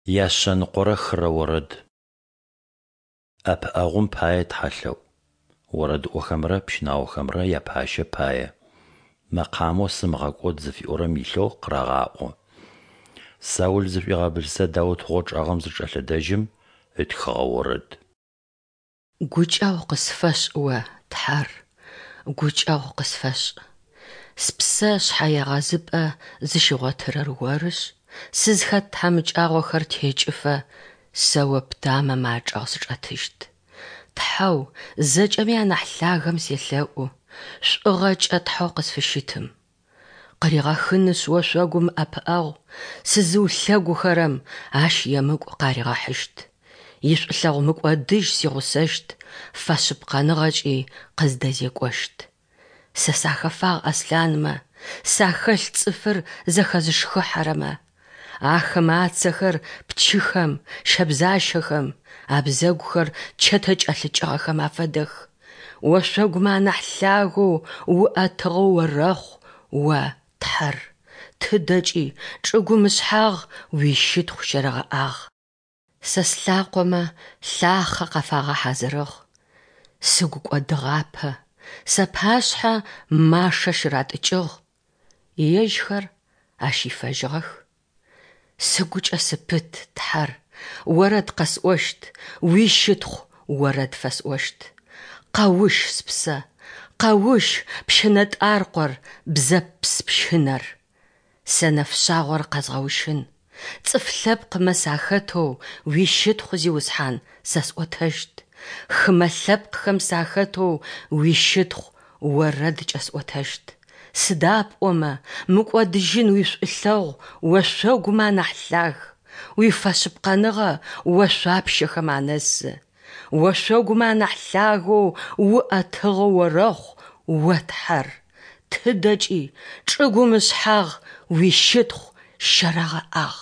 Яшъэныкъорэ хырэ орэд. ӏэпыӏэгъум пае тхьэлъэӏу. Орэдыӏохэмрэ пщынаохэмрэ япащэ пае. Мэкъамэу «Сымыгъэкӏод» зыфиӏорэм илъэу къырагъаӏо. Саул зышӏуигъэбылъзэ Даут гъочӏэгъым зычӏэлъэдэжьым ытхыгъэ орэд. Гукӏэгъу къысфэшӏ О, Тхьэр, гукӏэгъу къысфэшӏ. Спсэ шъхьэегъэзыпӏэ зыщигъотырэр Орышъ, сызхэт тхьамыкӏагъохэр текӏыфэ, сэ О птамэмэ ачӏэгъ сычӏэтыщт. Тхьэу зэкӏэми анахь лъагэм селъэӏу, шӏугъэкӏэ Тхьэу къысфыщытым. Къыригъэхынышъ ошъогум ӏэпыӏэгъу, сызыулъэгухэрэм ащ емыкӏу къаригъэхьыщт. Ишӏулъэгъу мыкӏодыжь сигъусэщт, фэшъыпкъэныгъэкӏи къыздэзекӏощт. Сэ сахэфагъ аслъанмэ, сахэлъ цӏыфыр зэхэзышхыхьэрэмэ. Ахэмэ ацэхэр пчыхэм, щэбзащэхэм, абзэгухэр чэтэ кӏэлъыкӏыгъэхэм афэдэх. Ошъогумэ анахь лъагэу уӏэтыгъэу орэхъу О, Тхьэр, тыдэкӏи чӏыгум ышъхьагъ уищытхъу щэрэгъэӏагъ. Сэ слъакъомэ лъахъэ къафагъэхьазырыгъ, сыгу кӏодыгъапэ, сапашъхьэ машэ щыратӏыкӏыгъ, ежьхэр ащ ифэжьыгъэх. Сыгукӏэ сыпыт, Тхьэр, орэд къэсӏощт, уищытхъу орэд фэсӏощт. Къэущ, спсэ, къэущ, пщынэтӏаркъор, бзэпс пщынэр. Сэ нэфшъагъор къэзгъэущын, цӏыф лъэпкъмэ сахэтэу уищытхъу, Зиусхьан, сэ сӏотэщт, хымэ лъэпкъхэм сахэтэу уищытхъу орэдкӏэ сӏотэщт. Сыда пӏомэ мыкӏодыжьын уишӏулъэгъу ошъогумэ анахь лъаг, уифэшъыпкъэныгъэ ошъуапщэхэм анэсы. Ошъогумэ анахь лъагэу уӏэтыгъэу орэхъу О Тхьэр, тыдэкӏи чӏыгум ышъхьагъ уищытхъу щэрэгъэӏагъ.